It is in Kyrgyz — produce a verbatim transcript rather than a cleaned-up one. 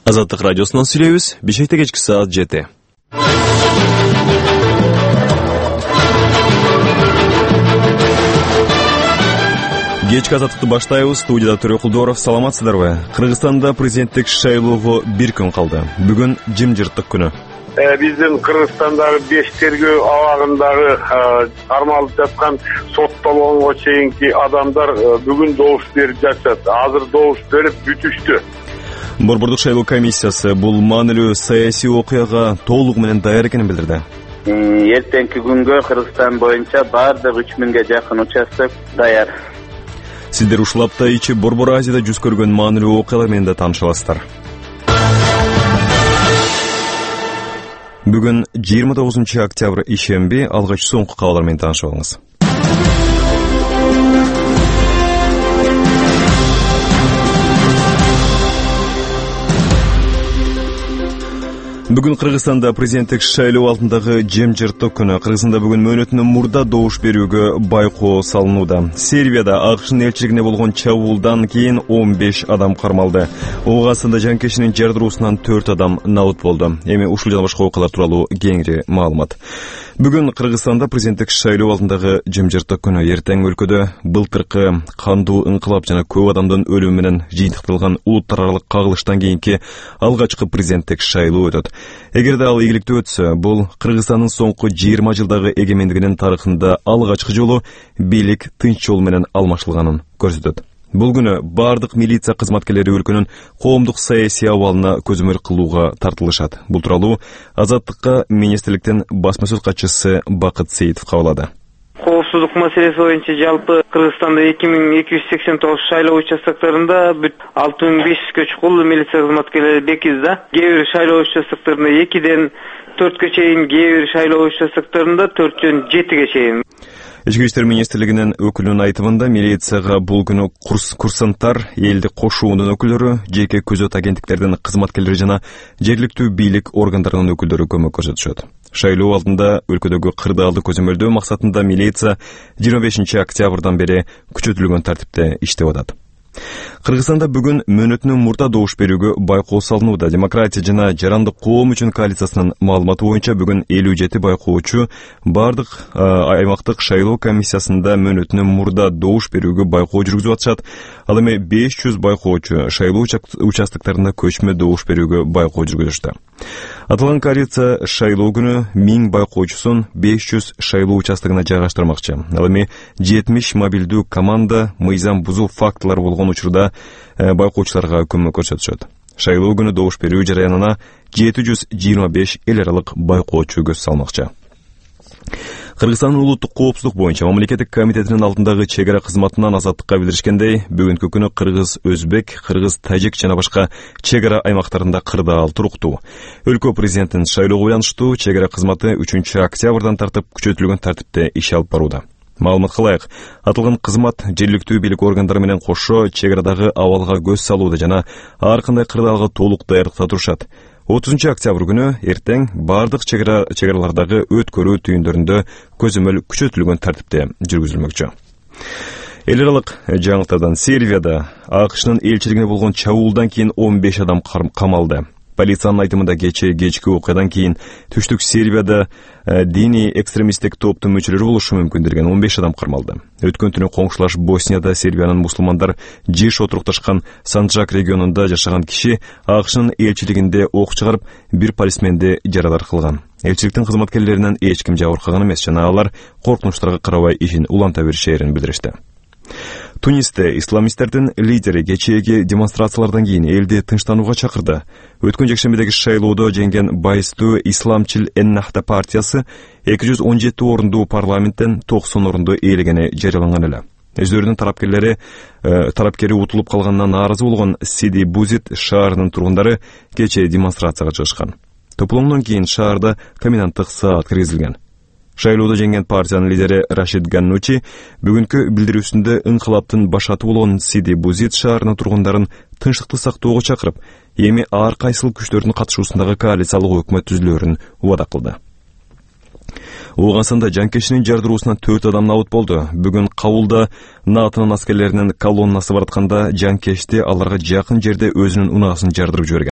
Азаттык радиосунан сүйлөйбүз. Бишкекте кечки саат жети. Кечки азаттыкты баштайбыз. Студияда Төрө Кулдоров. Саламатсыздарбы? Кыргызстанда президенттик шайлоого бир күн калды. Бүгүн жымжырттык күнү. Биздин Кыргызстандагы беш тергөө абагындагы кармалып жаткан соттолгонго чейинки адамдар бүгүн добуш берип жатышат. Азыр добуш берип бүтүштү. Борбордук шайлоо комиссиясы бул маанилүү саясий окуяга толугу менен даяр экенин билдирди. Эртеңки күнгө Кыргызстан боюнча баардык үч миңге жакын участок даяр. Сиздер ушул апта ичи Борбор Азияда жүз көргөн маанилүү окуялар менен да тааныша аласыздар. Бүгүн жыйырма тогузунчу октябрь ишемби, алгач соңку кабарлар менен таанышып алыңыз. Бүгүн Кыргызстанда президенттик шайлоо алдындагы жымжырттык күнү. Кыргызстанда бүгүн мөөнөтүнөн мурда добуш берүүгө байкоо салынууда. Сербияда АКШнын элчилигине болгон чабуулдан кийин он беш адам кармалды. Оогаастында жанкечтинин жардыруусунан төрт адам набыт болду. Эми ушул жана башка окуялар тууралуу кеңири маалымат. Бүгүн Кыргызстанда президенттик шайлоо алдындагы жымжырттык күнү. Эртең өлкөдө былтыркы кандуу ыңкылап жана көп адамдын өлүмү менен жыйынтыкталган улуттар аралык кагылыштан кийинки алгачкы президенттик шайлоо өтөт. Эгерде ал ийгиликтүү өтсө, бул Кыргызстандын соңку жыйырма жылдагы эгемендигинин тарыхында алгачкы жолу бийлик тынч жол менен алмашылганын көрсөтөт. Бул күнү бардык милиция кызматкерлери өлкөнүн коомдук саясий абалына көзөмөл кылууга тартылышат. Бул тууралуу Азаттыкка министрликтин басма сөз катчысы Бакыт Сейитов кабарлады. Коопсуздук маселеси боюнча жалпы Кыргызстанда эки миң эки жүз сексен тогуз шайлоо участоктарында бүт алты миң беш жүзгө чукул милиция кызматкерлери бекиз да. Кээ бир шайлоо участоктарында экиден төрткө чейин, кээ бир шайлоо участоктарында төрттөн жетиге чейин. Ички иштер министрлигинин өкүлүнүн айтымында милицияга бул күнү курс курсанттар, элдик кошуунун өкүлдөрү, жеке күзөт агенттиктердин кызматкерлери жана жергиликтүү бийлик органдарынын өкүлдөрү көмөк көрсөтүшөт. Шайлоо алдында өлкөдөгү кырдаалды көзөмөлдөө максатында милиция жыйырма бешинчи октябрдан бери күчөтүлгөн тартипте иштеп атат. Кыргызстанда бүгүн мөөнөтүнөн мурда добуш берүүгө байкоо салынууда. Демократия жана жарандык коом үчүн коалициясынын маалыматы боюнча бүгүн элүү жети байкоочу бардык аймактык шайлоо комиссиясында мөөнөтүнөн мурда добуш берүүгө байкоо жүргүзүп атышат. Ал эми беш жүз байкоочу шайлоо участоктарында көчмө добуш берүүгө байкоо жүргүзүштү. Аталган коалиция шайлоо күнү миң байкоочусун беш жүз шайлоо участогуна жайгаштырмакчы. Ал эми жетимиш мобилдүү команда мыйзам бузуу фактылары болгон учурда байкоочуларга көмөк көрсөтүшөт. Шайлоо күнү добуш берүү жараянына жети жүз жыйырма беш эл аралык байкоочу көз салмакчы. Кыргызстандын улуттук коопсуздук боюнча мамлекеттик комитетинин алдындагы чек ара кызматынан Азаттыкка билдиришкендей, бүгүнкү күнү кыргыз, өзбек, кыргыз, тажик жана башка чек ара аймактарында кырдаал туруктуу. Өлкө президентинин шайлоого байланыштуу чек ара кызматы үчүнчү октябрдан тартып күчөтүлгөн тартипте иш алып барууда. Маалыматка ылайык, аталган кызмат жергиликтүү бийлик органдары менен кошо чек арадагы абалга көз салууда жана ар кандай кырдаалга толук даярдыкта турушат. отузунчу октябрь күнү эртең бардык чек аралардагы өткөрүү түйүндөрүндө көзөмөл күчөтүлгөн тартипте жүргүзүлмөкчү. Эл аралык жаңылыктардан Сербияда АКШнын элчилигине болгон чабуулдан кийин он беш адам камалды. Полициянын айтымында кечээ кечки окуядан кийин түштүк Сербияда диний экстремисттик топтун мүчөлөрү болушу мүмкүн деген он беш адам кармалды. Өткөн түнү коңшулаш Боснияда Сербиянын мусулмандар жыш отурукташкан Санджак регионунда жашаган киши АКШнын элчилигинде ок чыгарып, бир полисменди жарадар кылган. Элчиликтин кызматкерлеринен эч ким жабыркаган эмес жана алар коркунучтарга карабай ишин уланта беришээрин билдиришти. Тунисте исламисттердин лидери кечээги демонстрациялардан кийин элди тынчтанууга чакырды. Өткөн жекшембидеги шайлоодо жеңген байыстуу Исламчыл Эннахта партиясы эки жүз он жети орунду парламенттен токсон орунду ээлегени жарыяланган эле. Өздөрүнүн тарапкерлери тарапкери утулуп калганынан нааразы болгон Сиди Бузит шаарынын тургундары кечээ демонстрацияга чыгышкан. Топломдон кийин шаарда коменданттык саат киргизилген. Шайлоодо жеңген партиянын лидери Рашид Ганнучи бүгүнкү билдирүүсүндө ыңкылаптын башаты болгон Сиди Бузит шаарынын тургундарын тынчтыкты сактоого чакырып, эми ар кайсыл күчтөрдүн катышуусундагы коалициялык өкмөт түзүлөөрүн убада кылды. Ооганстанда жанкечтинин жардыруусунан төрт адам набыт болду. Бүгүн Кабулда НАТОнун аскерлеринин колоннасы баратканда жанкечти аларга жакын жерде өзүнүн унаасын жардырып жиберген.